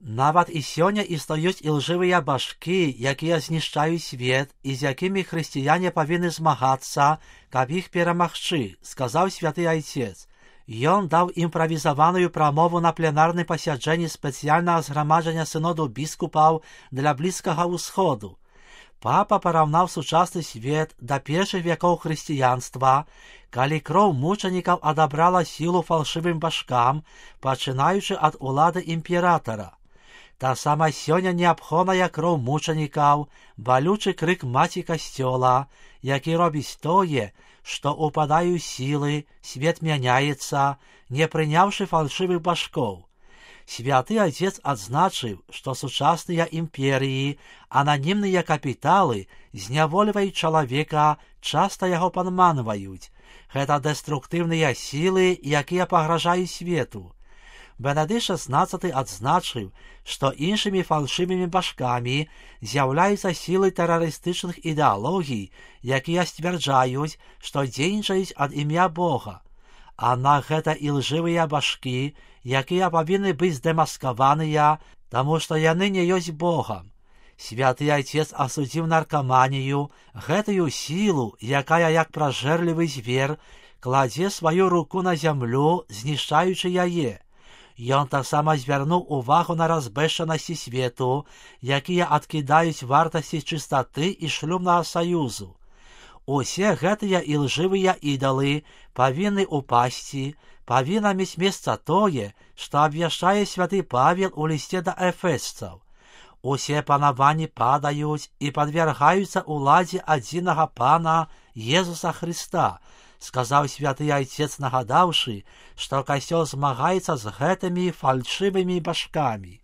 Нават і сёння існуюць ілжывыя башкі, якія знішчаюць свет і з якімі хрысціяне павінны змагацца, каб іх перамагчы, сказаў святы айцец. Ён даў імправізаваную прамову на пленарным пасяджэнні спецыяльнага зграмаджання сыноду біскупаў для Блізкага ўсходу. Папа параўнаў сучасны свет да першых вякоў хрысціянства, калі кроў мучанікаў адабрала сілу фалшывым башкам, пачынаючы ад улады імператара. Таксама сёння неабходная кроў мучанікаў, балючы крык маці касцёла, які робіць тое, што упадаю сілы, свет мяняецца, не прыняўшы фальшывых башкоў. Святы Отец адзначыў, што сучасныя імперыі, ананімныя капіталы знявольваюць чалавека, часта яго падманваюць. Гэта дэструктыўныя сілы, якія пагражаюць свету. Бенедыкт XVI адзначыў, што іншымі фальшывымі башкамі з'яўляюцца сілы тэрарыстычных ідэалогій, якія сцвярджаюць, што дзейнічаюць ад імя Бога. Аднак гэта ілжывыя башкі, якія павінны быць здэмаскаваныя, таму што яны не ёсць Богам. Святы Айцец асудзіў наркаманію, гэтую сілу, якая, як пражэрлівы звер, кладзе сваю руку на зямлю, знішчаючы яе. Ён таксама звярнуў увагу на разбэшчанасці свету, якія адкідаюць вартасці чыстаты і шлюбнага саюзу. Усе гэтыя ілжывыя ідалы павінны упасці, павінна мець месца тое, што абвяшчае святы Павел у лісце да эфесцаў. Усе панаванні падаюць і падвяргаюцца ўладзе адзінага Пана Езуса Хрыста, сказаў святы Айцец, нагадаўшы, што касцёл змагаецца з гэтымі фальшывымі башкамі.